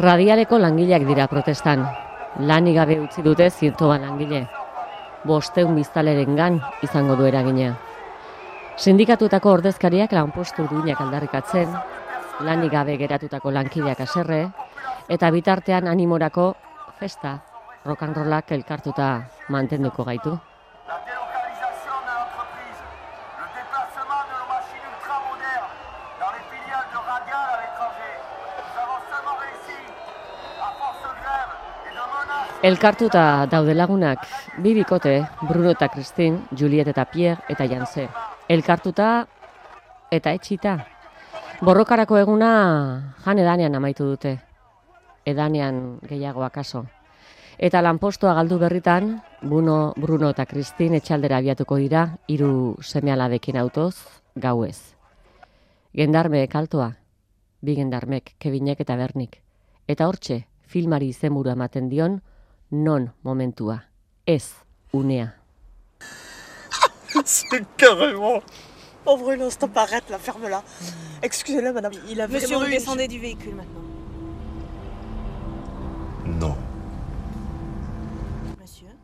Radialeko langileak dira protestan. Lanik gabe utzi dute 100 langile. 500 biztanlerengan izango du eragina. Sindikatuetako ordezkariak lanpostu duinak aldarrikatzen, lanik gabe geratutako lankideak haserre, eta bitartean animorako festa, rock and rollak elkartuta mantenduko gaitu. Elkartuta daude lagunak, bi bikote, Bruno eta Christine, Juliet eta Pierre eta Janse. Elkartuta eta etxita. Borrokarako eguna jan edanean amaitu dute. Edanean gehiago akaso. Eta lanpostoa galdu berritan, Bruno eta Christine etxaldera abiatuko dira, 3 seme-alabekin autoz, gauez. Gendarmeek altoa, 2 gendarmek, Kevinek eta Bernik. Eta hortxe, filmari izenburua ematen dion, non momentua, ez unea. C'est carrément... Oh Bruno, stop, arrête, là, ferme-la. Excusez-le, madame. Il a Monsieur, vous descendez du véhicule maintenant. Non. Monsieur?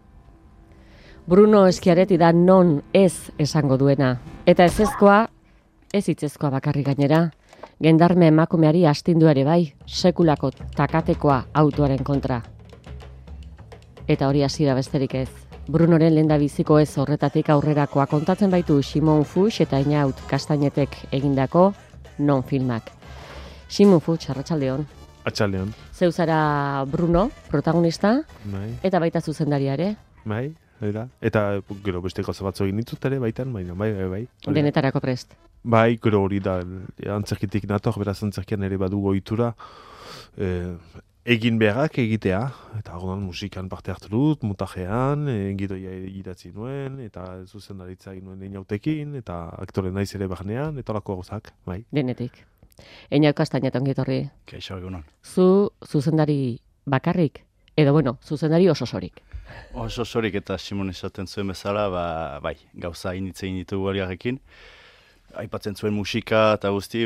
Bruno eskiareti da non ez esango duena. Eta ezezkoa, ez hitzezkoa bakarrik gainera. Gendarme emakumeari astindu ere bai, sekulako takatekoa autoaren kontra. Eta hori hasiera besterik ez. Brunoren lehendabiziko ez horretatik aurrerakoa kontatzen baitu Simon Fuchs eta Inaut Kastainetek egindako non filmak. Simon Fuchs, arratsaldeon. Atxaldeon. Zeu zara Bruno, protagonista, Bai, eta baita zuzendaria ere. bai, da. Eta gero beste gauza batzu egin ditut ere baitan, baina bai. Hori da. Denetarako prest. Bai, gero hori da, antzerkitik nator, beraz antzerkian ere badu ohitura, egin beharrak egitea, eta orduan musikan parte hartu dut, montajean, gidoia idatzi nuen, eta zuzendaritza egin nuen Inautekin, eta aktore naiz ere barnean, eta horako gauzak, bai. Denetik. Inaut Kastainet ongi etorri. Kaixo egunon. Zu zuzendari bakarrik, edo bueno, zuzendari osorik. Oso sorik eta Simon esaten zuen bezala, bai, gauza initzein ditugu horiarekin. Aipatzen zuen musika eta guzti,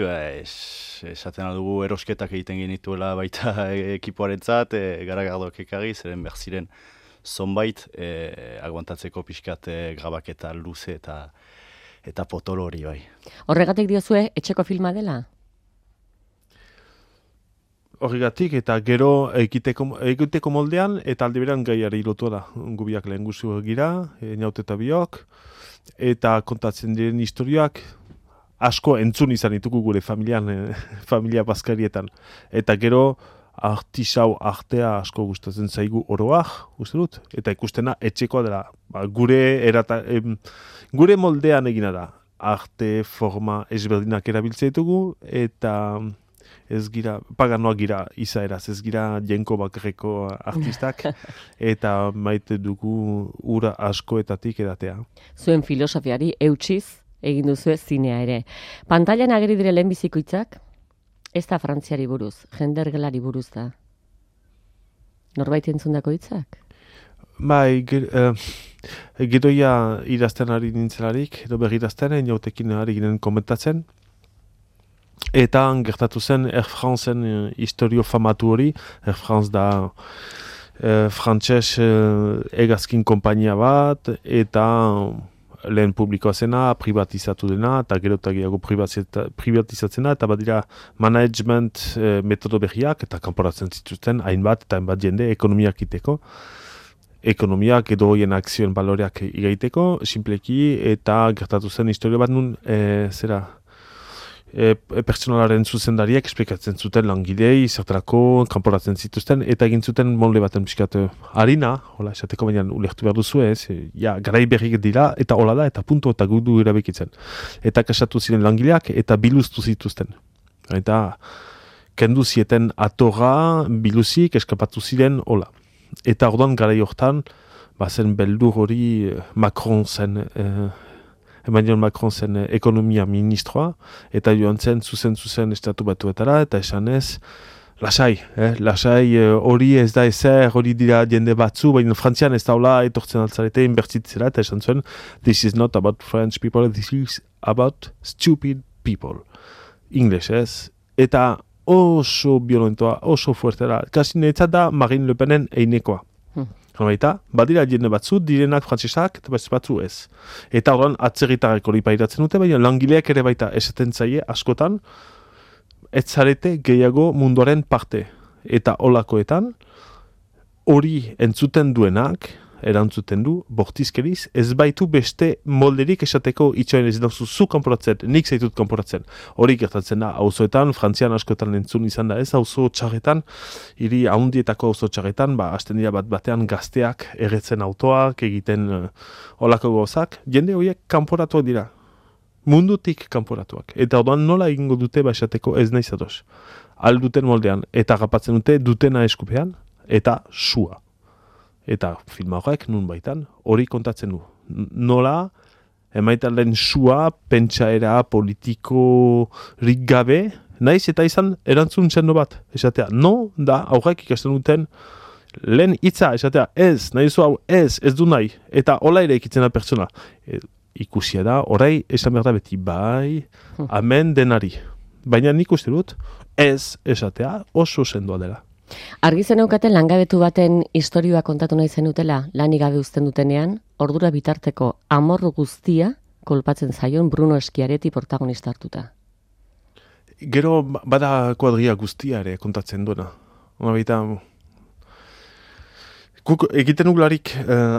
esaten dugu erosketak egiten genituela baita ekipoarentzat, garagardoak ekarri, zeren behar ziren zonbait aguantatzeko pixkat grabaketa luze eta potolo hori bai. Horregatik diozue etxeko filma dela? Horregatik eta gero egiteko moldean eta aldi berean gaiari lotua da. Gubiak lehen guzu gira, Inaut eta biok, eta kontatzen diren historiak asko entzun izan ditugu gure familian, familia bazkarietan. Eta gero artisau artea asko gustatzen zaigu oroak, uste dut, eta ikustena etxekoa dela. Gure moldean egina da. Arte, forma, ezberdinak erabiltzen ditugu, eta ez gira, paganoak gira izaeraz, ez gira jenko bakarreko artistak, eta maite dugu ura askoetatik edatea. Zuen filosofiari eutsiz egin duzue zinea ere. Pantailan ageri dire lehenbiziko hitzak, ez da Frantziari buruz, jendergelari buruz da. Norbait entzundako hitzak? Bai, gidoia idazten ari nintzelarik, edo berridazten, Inautekin ari ginen komentatzen, eta gertatu zen Air Franceen historio famatu hori. Air France da frantses hegazkin konpainia bat, eta lehen publikoa zena, privatizatu dena, eta gero eta gehiago privatizatzena, eta badira management metodo berriak, eta kanporatzen zituzten hainbat eta hainbat jende ekonomiak iteko. Ekonomiak edo hoien akzioen baloreak igaiteko, simpleki, eta gertatu zen historio bat nun, pertsonalaren zuzendariek esplikatzen zuten langilei, zertarako kanporatzen zituzten, eta egin zuten molde baten pixkat harina, hola, esateko baina ulertu behar duzu ez, garai berrik dira, eta hola da, eta punto, eta gudu erabekitzen. Eta kasatu ziren langileak, eta biluztu zituzten. Eta kendu zieten atorra, biluzik, eskapatu ziren, hola. Eta orduan garai hortan, bazen beldur hori Macron zen, Emmanuel Macron zen ekonomia ministroa, eta joan zen zuzen estatu batuetara, eta esanez, lasai hori ez da ezer, hori dira jende batzu, baina Frantzian ez daula etortzen altzarete inbertitzera, eta esan zuen, this is not about French people, this is about stupid people. English ez, eta oso violentoa, oso fuertera. Kasi netzat da Marine Le Penen einekoa. Baita, badira jende batzu, direnak frantsesak, eta batzu ez. Eta horren atzerritarrek hori pairatzen dute, baina langileak ere baita esaten zaie askotan, ez zarete gehiago munduaren parte. Eta holakoetan, hori entzuten duenak, erantzuten du, bortizkeriz, ez baitu beste molderik esateko itxoen ez dauzu zu kanporatzen, nik zaitut kanporatzen. Hori gertatzen da, auzoetan, Frantzian askotan entzun izan da ez, auzo txarretan, hiri haundietako auzo txarretan, hasten dira batean gazteak erretzen autoak, egiten olako gozak, jende horiek kanporatuak dira. Mundutik kanporatuak. Eta orduan nola egingo dute esateko ez nahi zadoz. Alduten moldean, eta gapatzen dute dutena eskupean, eta sua. Eta filma horrek nun baitan hori kontatzen du. Nola, emaitan lehen sua, pentsaera politikorik gabe, naiz eta izan erantzun sendo bat, esatea. No, da, aurrek ikasten duten lehen hitza, esatea, ez, nahi zu hau, ez du nahi, eta hola ere ikitzen da pertsona. Ikusia da, orai, esan behar da beti, bai, amen denari. Baina nik uste dut, ez esatea oso sendoa dela. Argi zeneukaten langabetu baten istorioa kontatu nahi zenutela, lanik gabe uzten dutenean, ordura bitarteko amorru guztia kolpatzen zaion Bruno Schiaretti protagonista hartuta. Gero bada kuadria guztia ere kontatzen duena. Baita, egiten ugularik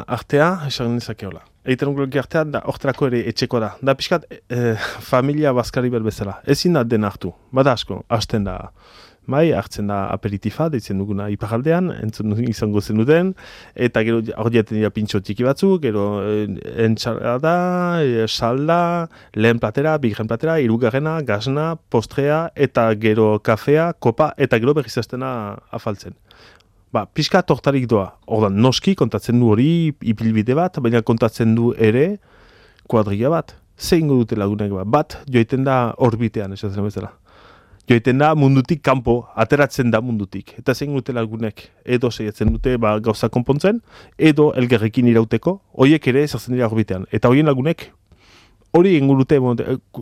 artea, esan nezakeola. Egiten ugularik artea, da horterako ere etxeko da. Da pixkat familia baskari berbezala. Ezin da den hartu. Bada asko, hasten da. Bai, hartzen da aperitifa, deitzen duguna iparaldean, entzun izango zenuten, eta gero hori jaten dira pintxo txiki batzuk, gero entxalada, salda, lehen platera, bigarren platera, hirugarrena, gazna, postrea, eta gero kafea, kopa, eta gero berriz hastena afaltzen. Pixka tortarik doa. Ordan noski kontatzen du hori ipilbide bat, baina kontatzen du ere kuadria bat. Zein dute lagunak bat, joiten da orbitean, esatzen bezala. Joiten da mundutik kanpo, ateratzen da mundutik. Eta zein dute lagunek edo saiatzen dute gauza konpontzen, edo elgerrekin irauteko, horiek ere ezartzen dira orbitean. Eta horien lagunek hori egin dute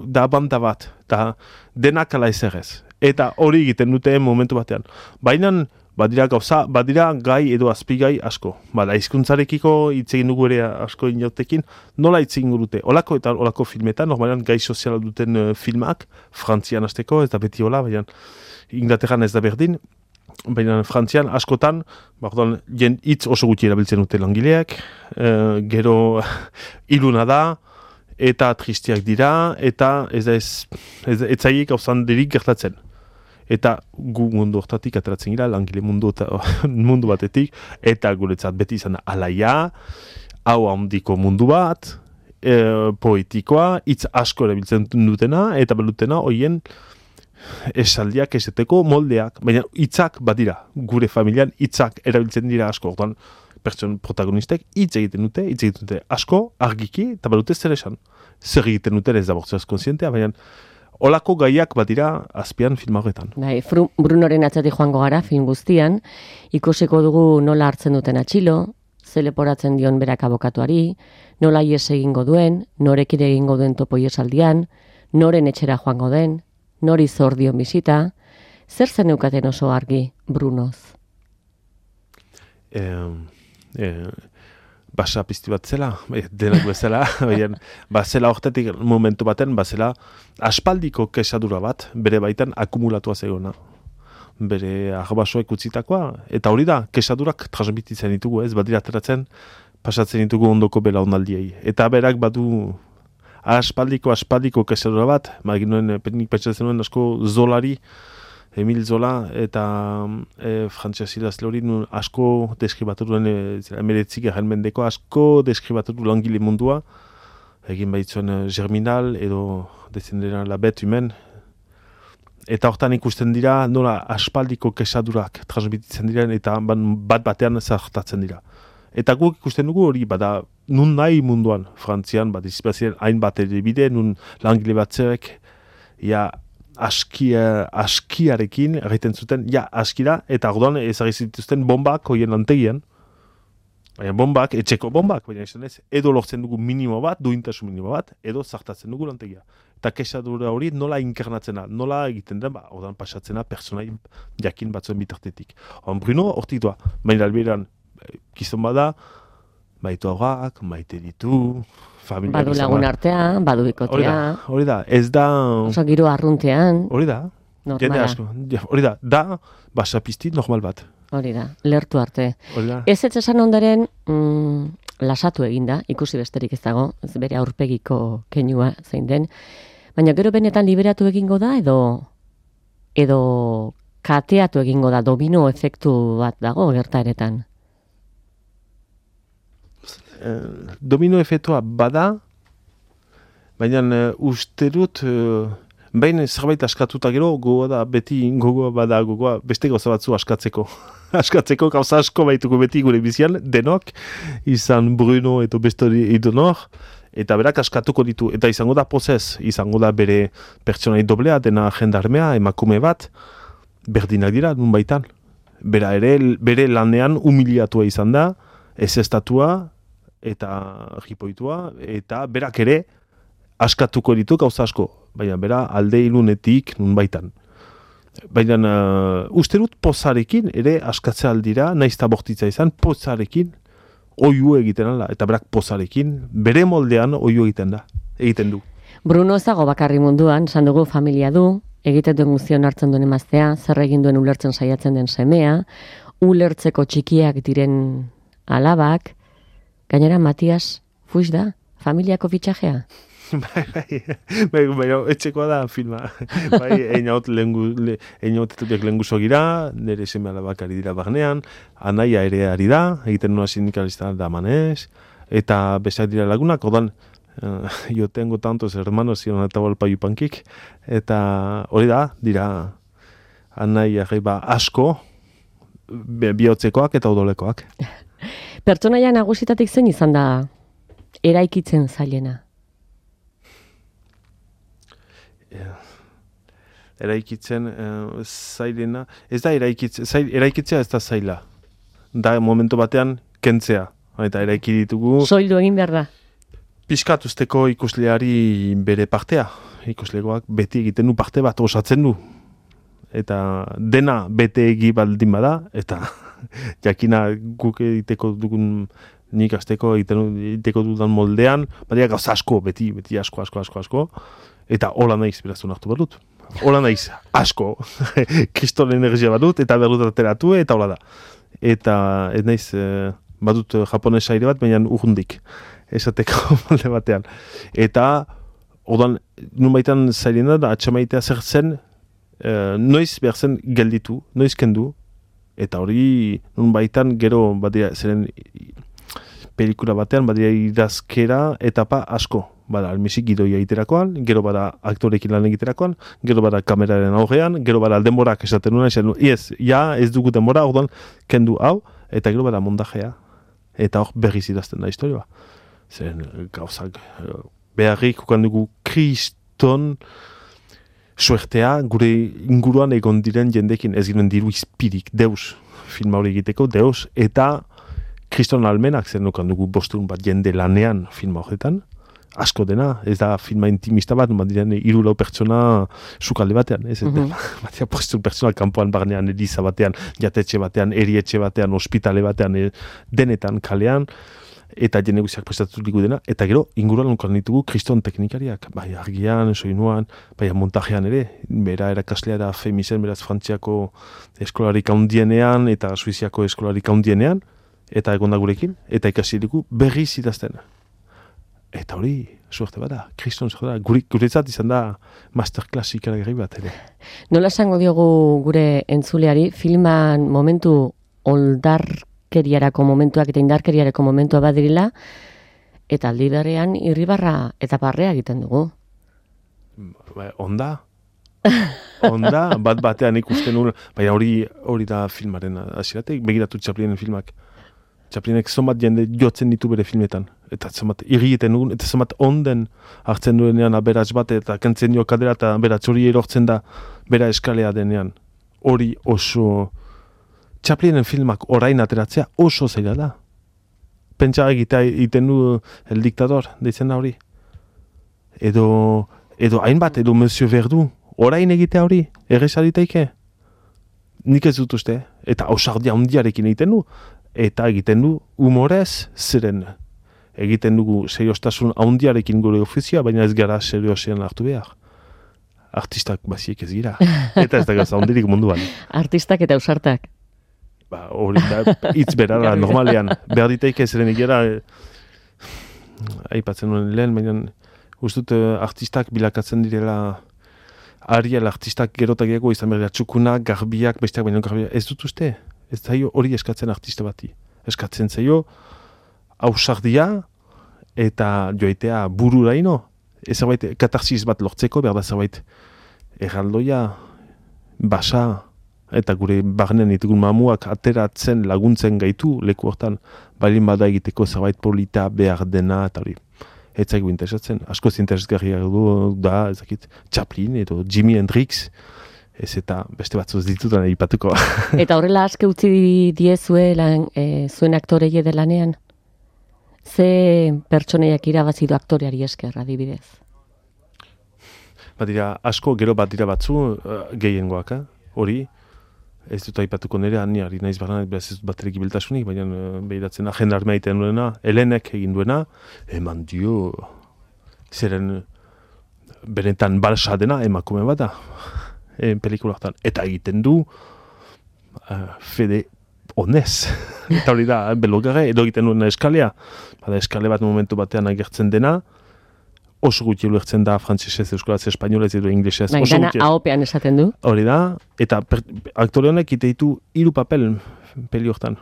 da banda bat, da denak ala ezerrez. Eta hori egiten dute momentu batean. Baina badira gai edo azpigai asko. Hizkuntzarekiko hitz egin dugu ere asko inautekin, nola hitz egin dute. Olako eta olako filmetan, normalan gai soziala duten filmak, Frantzian hasteko, ez da beti hola, baina Inglaterran ez da berdin, baina Frantzian askotan, hitz oso gutxi erabiltzen dute langileak, gero iluna da, eta tristiak dira, eta ez zaiek hauzan derik gertatzen. Eta gu mundu hortatik ateratzen gira, langile mundu batetik, eta guretzat beti izan da alaia, hau handiko mundu bat, poetikoa, hitz asko erabiltzen dutena, eta balutena horien esaldiak esateko moldeak, baina hitzak badira, gure familian hitzak erabiltzen dira asko, orduan pertson protagonistek hitz egiten dute asko, argiki, eta balute zer esan. Zer egiten dute ez da bortzaz konsientea, baina olako gaiak badira azpian film horretan. Brunoren atzatik joango gara film guztian, ikusiko dugu nola hartzen duten atxilo, ze leporatzen dion berak abokatuari, nola ies egingo duen, norekin egingo duen topo iesaldian, noren etxera joango den, nori zor dion bisita, zer zen eukaten oso argi Brunoz? Basa pizti bat zela, denak bezala, bazela hortetik momentu baten, bazela aspaldiko kesadura bat, bere baitan akumulatua zegona. Bere arbasoek utzitakoa, eta hori da, kesadurak transmititzen ditugu, ez badira ateratzen, pasatzen ditugu ondoko bela onaldiei. Eta berak badu aspaldiko kesadura bat, nik pentsatzen nuen asko Zolari, Emil Zola eta Frantses idazle hori asko deskribatu duen, emeretzik erren mendeko, asko deskribatu du langile mundua, egin baitzuen Germinal edo dezendera La Bête Humaine, eta hortan ikusten dira nola aspaldiko kesadurak transmititzen diren eta bat batean zartatzen dira. Eta guk ikusten dugu hori bada nun nahi munduan, Frantzian, izbazien hainbat bide, nun langile batzerek, askiarekin egiten zuten, askira, eta orduan ezagizituzten bombak hoien lantegian. Baina bombak, etxeko bombak, baina esan ez, edo lortzen dugu minimo bat, duintasun minimo bat, edo zartatzen dugu lantegia. eta kexadura hori nola inkarnatzena, nola egiten da, odan pasatzena personai jakin batzuen bitartetik. Bruno hortik doa, baina alberan, gizon bada, baitu aurrak, maite ditu, familia Badu lagun artean, badu bikotea. Hori da, ez da... Oso giro arruntean. Hori da, jende Normala. asko. Hori da, basapisti normal bat. Hori da, lertu arte. Hori da. Ez esan ondaren, lasatu eginda, ikusi besterik ez dago, ez bere aurpegiko keinua zein den, baina gero benetan liberatu egingo da, edo kateatu egingo da, domino efektu bat dago gertaeretan. Domino efektua bada, baina uste dut, behin zerbait askatuta gero, gogoa beste gauza batzu askatzeko. Askatzeko gauza asko baituko beti gure bizian, denok, izan Bruno eta beste idonor, eta berak askatuko ditu, eta izango da pozez, izango da bere pertsonai doblea, dena jendarmea, emakume bat, berdinak dira, nun baitan. Bere lanean humiliatua izan da, ez estatua, eta jipoitua, eta berak ere askatuko ditu gauza asko, baina bera alde ilunetik nun baitan. Baina uste dut pozarekin ere askatzea aldira, naiz eta bortitza izan, pozarekin oiu egiten ala, eta berak pozarekin bere moldean oiu egiten du. Bruno ez dago bakarri munduan, esan dugu familia du, egiten duen guztion hartzen duen emaztea, zer egin duen ulertzen saiatzen den semea, ulertzeko txikiak diren alabak, gainera Matias Fuix da, familiako fitxajea. Bai, etxekoa da filma. Bai, einaut lenguzo gira, nire seme alabak ari dira barnean, anaia ere ari da, egiten nua sindikalista da manez, eta besak dira lagunak, odan, yo tengo tantos hermanos y una tabalpa yupankik, eta hori da, dira anaia asko, bihotzekoak eta odolekoak. Pertsonaia nagusitatik zein izan da eraikitzen zailena? Eraikitzen zailena, ez da eraikitzea ez da zaila. Da momentu batean kentzea, eta eraiki ditugu. Soildu egin behar da. Piskat usteko ikusleari bere partea. Ikuslegoak beti egiten du parte bat osatzen du. Eta dena bete egi baldin bada, eta jakina guk egiteko dugun nik azteko egiteko dudan moldean, baina gauza asko, beti asko, eta hola naiz beraztu nartu badut. Hola naiz, asko, kriston energia badut, eta berdut ateratu, eta hola da. Eta ez naiz, badut japonesa aire bat, baina urrundik, esateko molde batean. Eta, odan, nun baitan zailena da, atxamaitea zer zen, noiz behar zen gelditu, noiz kendu, eta hori nun baitan gero badira zeren pelikula batean badira idazkera etapa asko. Bada almisik gidoia egiterakoan, gero bada aktorekin lan egiterakoan, gero bada kameraren aurrean, gero bada denborak esaten nuen, ez dugu denbora, orduan kendu hau, eta gero bada mondajea. Eta hor berriz idazten da historioa. Zeren gauzak beharrik dugu kriston suertea gure inguruan egon diren jendekin ez giren diru izpirik, deus, filma hori egiteko, deus, eta kriston almenak zer nukan dugu bostun bat jende lanean filma horretan, asko dena, ez da filma intimista bat, diren 3-4 pertsona sukalde batean, ez? Batia postun pertsona kanpoan barnean, eliza batean, jatetxe batean, erietxe batean, ospitale batean, denetan, kalean, eta jende guztiak prestatuko dena, eta gero inguruan nukan ditugu kriston teknikariak, bai argian, soinuan, bai montajean ere, bera erakaslea da Femisen, beraz Frantziako eskolarik handienean, eta Suiziako eskolarik handienean, eta egonda gurekin, eta ikasi dugu berriz idazten. Eta hori, suerte bada, kriston suerte da, guretzat izan da masterclass ikaragarri bat ere. Nola esango diogu gure entzuleari, filman momentu oldarkeriarako momentuak eta indarkeriarako momentua badirila, eta aldi berean irribarra eta barrea egiten dugu. Onda, bat batean ikusten nuen, baina hori da filmaren hasieratik, begiratu Chaplinen filmak. Chaplinek zomat jende jotzen ditu bere filmetan. Eta zomat irrieten dugun, eta zomat onden hartzen duenean aberats bat, eta kentzen dio kadera, eta aberats hori erortzen da bera eskalea denean. Hori oso... Chaplinen filmak orain ateratzea oso zaila da. Pentsa egiten du El Dictador, deitzen da hori. Edo Edo hainbat, edo Monsieur Verdu, orain egitea hori, erresa ditaike? Nik ez dut uste, eta ausardia handiarekin egiten du, eta egiten du humorez, zeren egiten dugu seriostasun handiarekin gure ofizioa, baina ez gara seriosean hartu behar. Artistak baziek ez gira, eta ez da gauza handirik munduan. Artistak eta ausartak. Ba, hori da, hitz berara, normalean, behar ditaike zeren egera, aipatzen nuen lehen, baina ustut artistak bilakatzen direla, ariel artistak gerotagiako izan behar txukunak, garbiak, besteak baino garbiak, ez dut uste, ez zaio hori eskatzen artista bati. Eskatzen zaio, ausardia eta joaitea bururaino, zerbait katarsis bat lortzeko, behar da zerbait erraldoia, basa, eta gure barnen ditugun mamuak ateratzen laguntzen gaitu leku hortan, balin bada egiteko zerbait polita behar dena, eta hori. Ez zaigu interesatzen, askoz interesgarriak da, ezakit, Chaplin edo Jimi Hendrix, ez eta beste batzuz ditutan aipatuko. Eta horrela aske utzi diezue zuen aktorei edelanean? Ze pertsoneiak irabazi du aktoreari esker, adibidez? Badira, asko gero bat dira batzu, gehiengoak, hori, ez dut aipatuko nire, ari naiz barra, ez dut baterik ibiltasunik, baina behiratzen agenda armea egiten duena, Helenek egin duena, eman dio, zeren benetan balsa dena emakume bat da, pelikulaktan. Eta egiten du, fede honez. Eta hori da, belogare, edo egiten duena eskalea. Bada eskale bat momentu batean agertzen dena, oso gutxi ulertzen da frantsesez, euskaraz, espainolez edo inglesez. Bai, dana ahopean esaten du. Hori da, eta aktore honek ite ditu 3 papel peli hortan.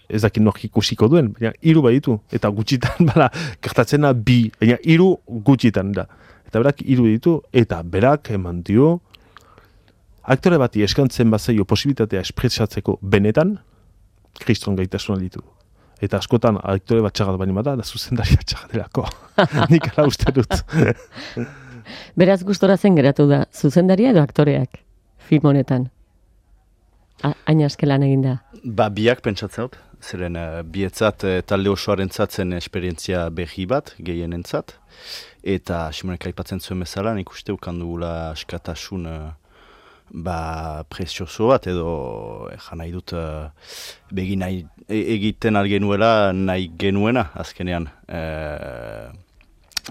Ez dakit nork ikusiko duen, baina 3 baditu. Eta gutxitan, bala, gertatzena 2, baina 3 gutxitan da. Eta berak 3 ditu, eta berak eman dio, aktore bati eskantzen bazaio posibilitatea espresatzeko benetan, kriston gaitasuna ditu. Eta askotan aktore bat txagat baino bada, da zuzendaria txagadelako. Nik ala uste dut. Beraz gustora zen geratu da, zuzendaria edo aktoreak film honetan? Hain askelan egin da. Ba, biak pentsatzen dut, zeren bietzat talde osoaren zatzen esperientzia behi bat, gehienentzat, eta Simonek aipatzen zuen bezala, nik uste ukandugula askatasun prezioso bat, edo nahi dut begin egiten algenuela nahi genuena, azkenean.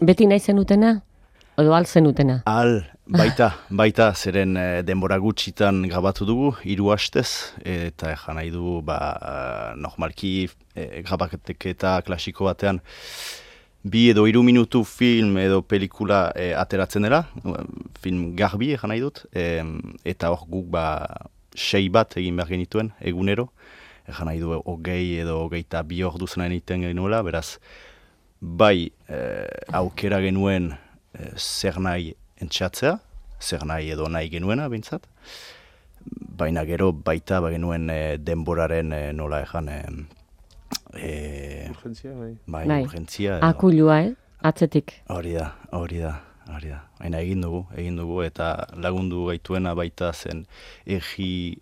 Beti nahi zenutena? Edo al zenutena? Al, baita, zeren denbora gutxitan grabatu dugu, 3 hastez, eta nahi du, normalki grabaketa klasiko batean, 2 edo 3 minutu film edo pelikula ateratzen dela, film garbi nahi dut, eta hor guk 6 bat egin behar genituen, egunero, nahi du 20 edo 22 ordu zen egiten genuela, beraz, bai aukera genuen zer nahi entxatzea, zer nahi edo nahi genuena bintzat, baina gero baita genuen denboraren nola Urgentzia, bai. Bai, urgentzia. Akulua, atzetik. Hori da. Baina egin dugu, eta lagundu gaituena baita zen egi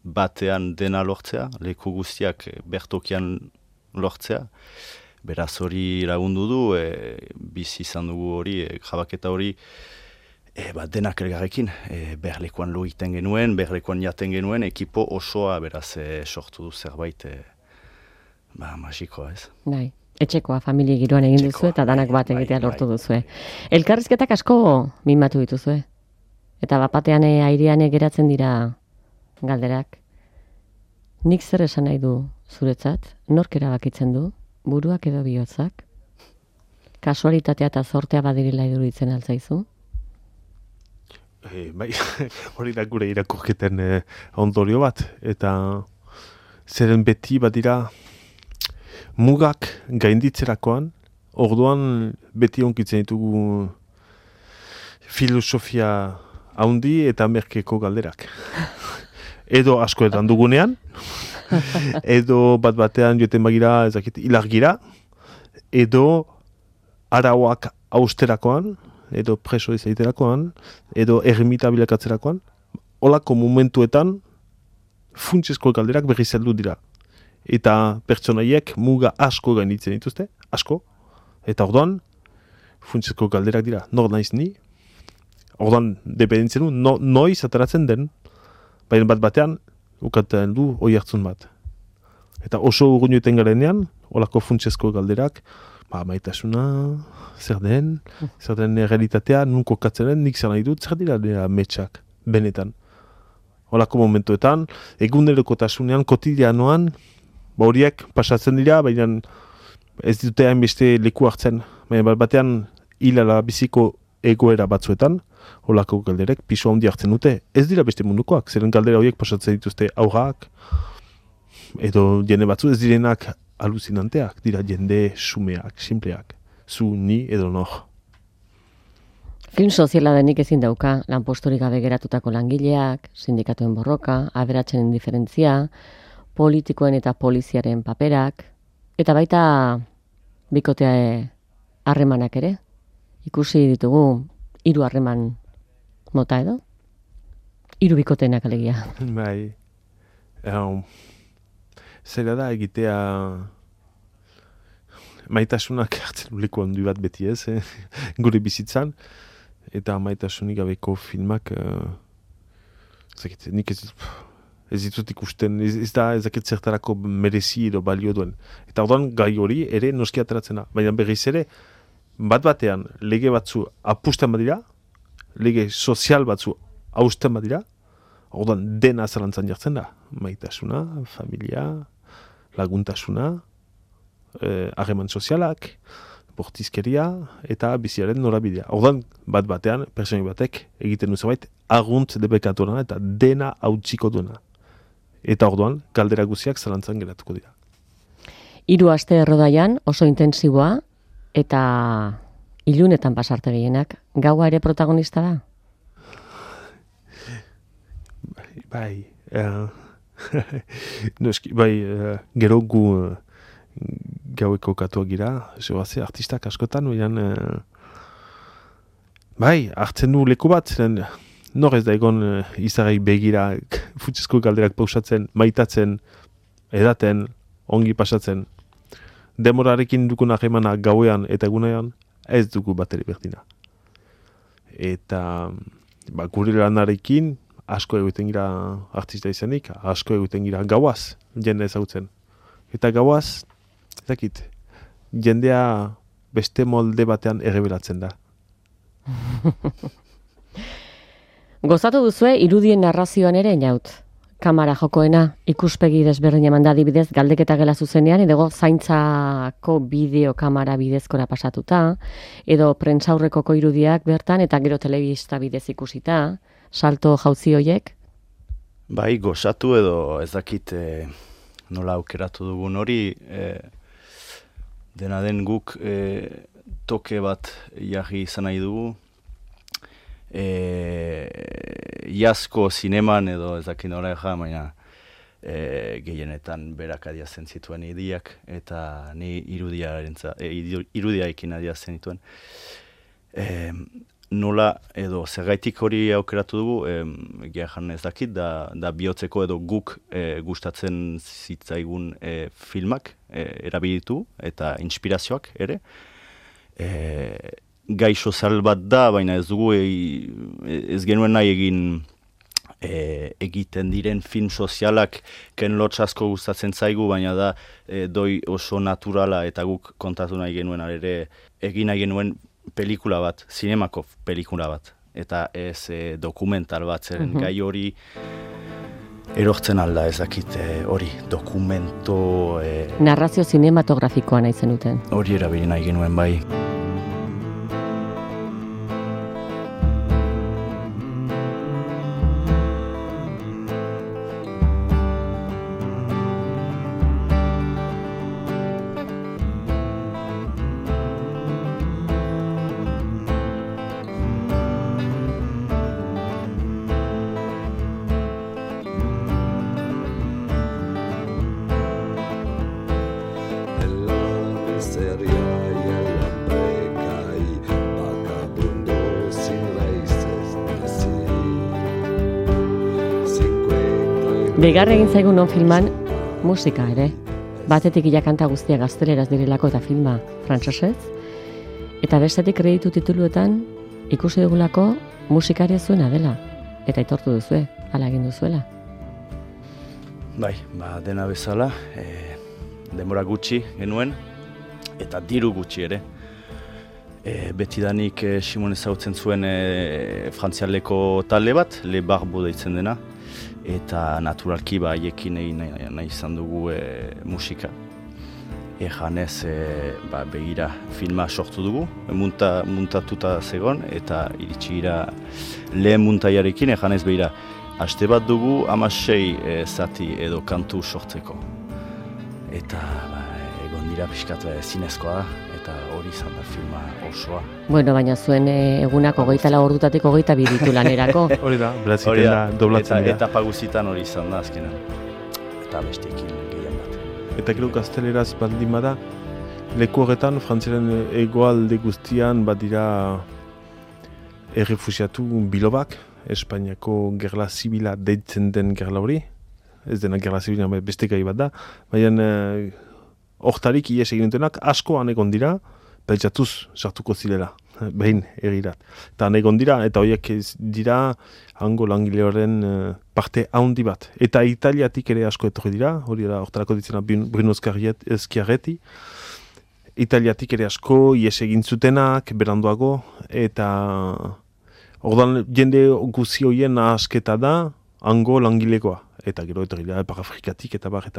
batean dena lortzea, leku guztiak bertokian lortzea. Beraz hori lagundu du, bizi izan dugu hori, jabaketa hori, denak elgarrekin, berlekuan lo egiten genuen, berlekuan jaten genuen, ekipo osoa, beraz sortu du zerbait, magikoa ez. Bai, etxekoa, familia giroan egin duzu eta danak bat egitea lortu duzue. Elkarrizketak asko mimatu dituzue. Eta bapatean airean geratzen dira galderak. Nik zer esan nahi du zuretzat? Nork erabakitzen du? Buruak edo bihotzak? Kasualitatea eta zortea badirela iruditzen altzaizu? Bai, hori da gure irakurketen ondorio bat. Eta zeren beti badira mugak gainditzerakoan, orduan beti onkitzen ditugu filosofia haundi eta merkeko galderak. Edo askoetan dugunean, edo bat-batean joeten bagira, ezakit, ilargira, edo arauak austerakoan, edo preso izaiterakoan, edo ermita bilakatzerakoan, holako momentuetan funtsezko galderak berriz heldu dira. Eta pertsonaiek muga asko gainditzen dituzte, asko, eta orduan funtsezko galderak dira, nor naiz ni, ordan dependentzen du, noiz ateratzen den, baina batean, ukaten du hoi hartzun bat. Eta oso urgunoeten garenean, olako funtsezko galderak, maitasuna, zer den realitatea, nun kokatzen den, nik zer nahi dut, zer dira ametsak, benetan. Olako momentuetan, egunerokotasunean, kotidianoan, horiek pasatzen dira, baina ez dute hainbeste leku hartzen. Baina batean hilala biziko egoera batzuetan, olako galderek pisu handi hartzen dute. Ez dira beste mundukoak, zeren galdera horiek pasatzen dituzte aurrak, edo jende batzu ez direnak aluzinanteak, dira jende sumeak, simpleak, zu, ni edo nor. Film soziala denik ezin dauka, lanposturik gabe geratutako langileak, sindikatuen borroka, aberatzen indiferentzia, politikoen eta poliziaren paperak, eta baita bikotea harremanak ere. Ikusi ditugu 3 harreman mota edo? 3 bikoteenak alegia. Bai, zera da egitea maitasunak hartzen uliko handi bat beti ez, gure bizitzan, eta maitasunik gabeko filmak, nik ez ditut ikusten, ez da ezaket zertarako merezi edo balio duen. Eta orduan gai hori ere noski ateratzen da, baina berriz ere, bat-batean lege batzu apusten badira, lege sozial batzu hausten badira, orduan dena zalantzan jartzen da. Maitasuna, familia, laguntasuna, harreman sozialak, bortizkeria eta biziaren norabidea. Orduan, bat-batean, personi batek egiten du zerbait, argunt debekatuena eta dena hautsiko duena. Eta orduan, galdera guziak zalantzan geratuko dira. 3 aste errodaian oso intensiboa eta ilunetan pasarte gehienak. Gaua ere protagonista da? Bai, gero gu gaueko katuak gira, zoaze, artistak askotan, hartzen du leku bat, nor ez da egon izarei begira, futsezko galderak pausatzen, maitatzen, edaten, ongi pasatzen. Demorarekin dukun harremana gauean eta egunean, ez dugu bateri berdina. Eta gure lanarekin, asko egiten gira artista izanik, asko egiten gira gauaz, jende ezagutzen. Eta gauaz, ezakit, jendea beste molde batean errebelatzen da. Gozatu duzue irudien narrazioan ere inaut. Kamara jokoena, ikuspegi desberdin eman da adibidez galdeketa gela zuzenean, edo zaintzako bideo kamara bidezkora pasatuta, edo prentsaurrekoko irudiak bertan, eta gero telebista bidez ikusita, salto jauzi hoiek? Bai, gozatu edo ez dakit nola aukeratu dugun hori, dena den guk toke bat jarri izan nahi dugu, iazko zineman edo ez dakit nola baina gehienetan berak adiazen zituen idiak, eta ni irudiaekin adiazen dituen. Nola edo zergaitik hori aukeratu dugu, gehan ez dakit, da bihotzeko edo guk gustatzen zitzaigun filmak erabilitu eta inspirazioak ere. Gai sozial bat da, baina ez dugu ez genuen nahi egiten diren film sozialak ken lotz asko gustatzen zaigu, baina da doi oso naturala eta guk kontatu nahi genuen ere egin nahi genuen pelikula bat, zinemako pelikula bat, eta ez dokumental bat, zeren gai hori erortzen alda ezakit hori, dokumento... Narrazio zinematografikoa nahi zenuten. Hori erabili nahi genuen bai. Begarra egin zaigun non filman musika ere. Batetik ia kanta guztia gazteleraz direlako eta filma frantsesez. Eta bestetik kreditu tituluetan ikusi dugulako musikaria zuena dela, eta aitortu duzue, hala egin duzuela. Bai, dena bezala, denbora gutxi genuen, eta diru gutxi ere. Betidanik Simon ezagutzen zuen frantzialeko talde bat, Le Barbo deitzen dena, eta naturalki haiekin egin nahi izan dugu musika. Janez begira filma sortu dugu, muntatuta zegon, eta iritsi gira lehen muntaiarekin, janez begira, haste bat dugu 16 zati edo kantu sortzeko. Eta egon dira pixkat zinezkoa da, eta hori izan da filma osoa. Bueno, baina zuen egunak 24 ordutatik 22 ditu lanerako. Hori da, beraziten da, doblatzen dira. Eta paguzitan hori izan da azkenan, eta besteekin gehien bat. Eta gero gazteleraz baldin bada, leku horretan, frantziaren egoalde guztian badira errefusiatu bilobak, Espainiako gerla zibila deitzen den gerla hori, ez dena gerla zibila beste gai bat da, baina hortarik ies egin dutenak asko han egon dira, pentsatuz sartuko zilela, behin egirat. Eta han egon dira, eta horiek dira hango langileoren parte handi bat. Eta Italiatik ere asko etorri dira, hori da hortarako ditzena Bruno Schiaretti, Italiatik ere asko ies egin zutenak, beranduago, eta ordan jende guzi horien asketa da hango langilekoa. Eta gero etorri da, Afrikatik eta bar.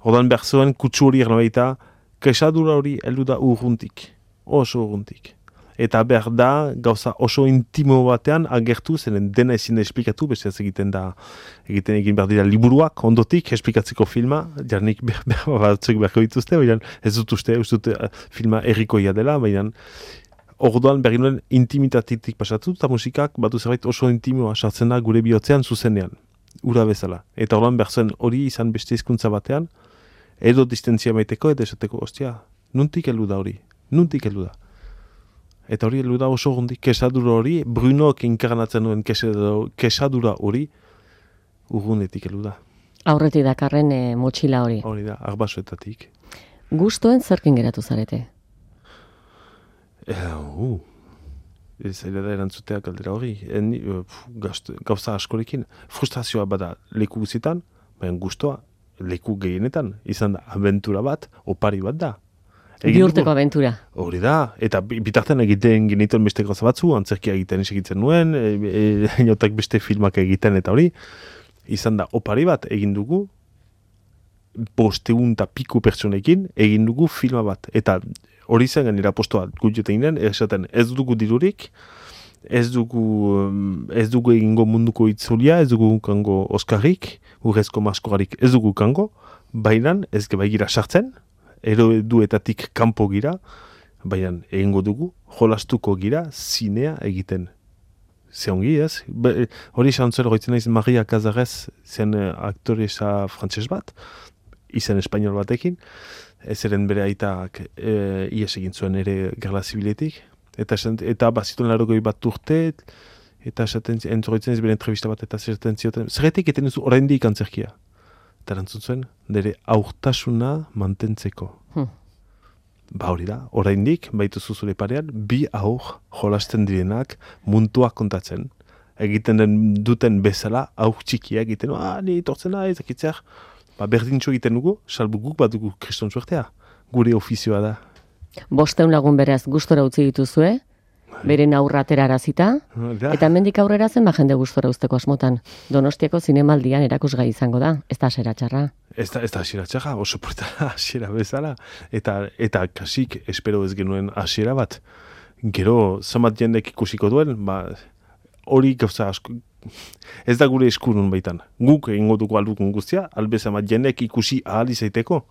Ordan behar zuen kutsu hori ernabaita, kesadura hori heldu da urruntik, oso urruntik. Eta behar da, gauza oso intimo batean agertu, zenen dena ezin da esplikatu, beste ez egin behar dira liburuak, ondotik, esplikatzeko filma, jarnik batzuk beharko dituzte, baina ez dut uste filma errikoia dela, baina orduan berri nuen intimitatik pasatu, eta musikak batu zerbait oso intimoa sartzen da gure bihotzean zuzenean, ura bezala. Eta orduan behar zuen hori izan beste hizkuntza batean, edo distentzia maiteko, eta esateko, ostia, nuntik heldu da hori, nuntik heldu da. Eta hori heldu da oso gundik, kesadura hori, Brunoak inkarnatzen duen kesadura hori, urgunetik heldu da. Aurretik dakarren motxila hori. Hori da, arbasoetatik. Gustoen zerkin geratu zarete? Zaila da erantzutea galdera hori. Gauza askorekin. Frustrazioa bada leku guzietan, baina gustoa leku gehienetan. Izan da, abentura bat, opari bat da. Bihurteko abentura. Hori da, eta bitartean egiten genituen beste gauza batzu, antzerkia egiten segitzen nuen, inotak beste filmak egiten eta hori. Izan da, opari bat egin dugu, 500 piku pertsonekin egin dugu filma bat. Eta hori zen ganera postoa gutxoten ginen, esaten ez dugu dirurik, ez dugu egingo munduko itzulia, ez dugu kango Oskarrik, urrezko maskogarik ez dugu kango, baina ez gira sartzen, eroduetatik kanpo gira, baina egingo dugu, jolastuko gira, zinea egiten. Zehongi ez? Hori xantzuel goitzen naiz Maria Cazares zen aktoresa frantses bat, izen espainol batekin, ezeren bere aitak ies egin zuen ere gerla zibiletik, eta bazituen 80 bat urte, eta entzoroitzen ez bere entrevista bat, eta zerten zioten, zerretik eten duzu oraindik antzerkia? Eta erantzun zuen, nire aurtasuna mantentzeko. Hori da, oraindik, baituzu zure parean, 2 aur jolasten direnak munduak kontatzen. Egiten duten bezala, aur txikia egiten, ni tortzena ezakitzeak, berdintxo egiten dugu, salbu guk bat dugu kriston suertea. Gure ofizioa da. 500 lagun beraz gustora utzi dituzue, beren aurra aterarazita, eta hemendik aurrera zen jende gustora uzteko asmotan. Donostiako zinemaldian erakusgai izango da, ez da hasiera txarra. Ez da hasiera txarra, oso porta hasiera bezala. Eta kasik espero ez genuen hasiera bat. Gero, zamat jendek ikusiko duen, hori gauza asko, ez da gure eskurun baitan. Guk egingo dugu aldukun guztia, albezamat jendek ikusi ahal izaiteko.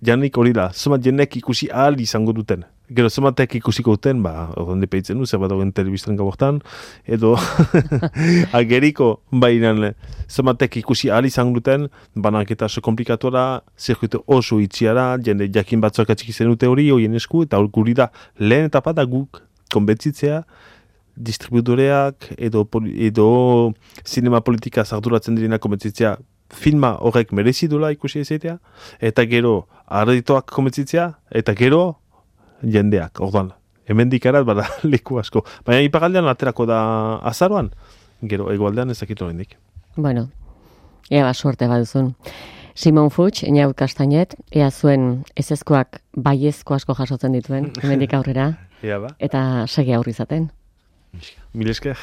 Janik hori da, zamat jendek ikusi ahal izango duten. Gero zamatek ikusiko duten, ordan depeitzen du, zer bat dagoen telebistan gabortan, edo ageriko, baina zamatek ikusi ahal izango duten, banaketa oso komplikatu da, zirkuito oso itxiara, jende jakin batzuak atxik izan dute hori, horien esku, eta guri da lehen etapa da guk konbentzitzea, distributoreak edo zinema politika arduratzen direnak konbentzitzea filma horrek merezi dula ikusi ezetea, eta gero arreditoak konbentzitzea, eta gero jendeak, orduan, hemendik erat bada leku asko. Baina ipagaldean aterako da azaroan, gero hegoaldean ez dakit oraindik. Bueno, ea suerte baduzun. Simon Fuchs, Inaut Kastainet, ea zuen ezezkoak baiezko asko jasotzen dituen, hemendik aurrera, Ea ba, eta segi aurri izaten. mil esker.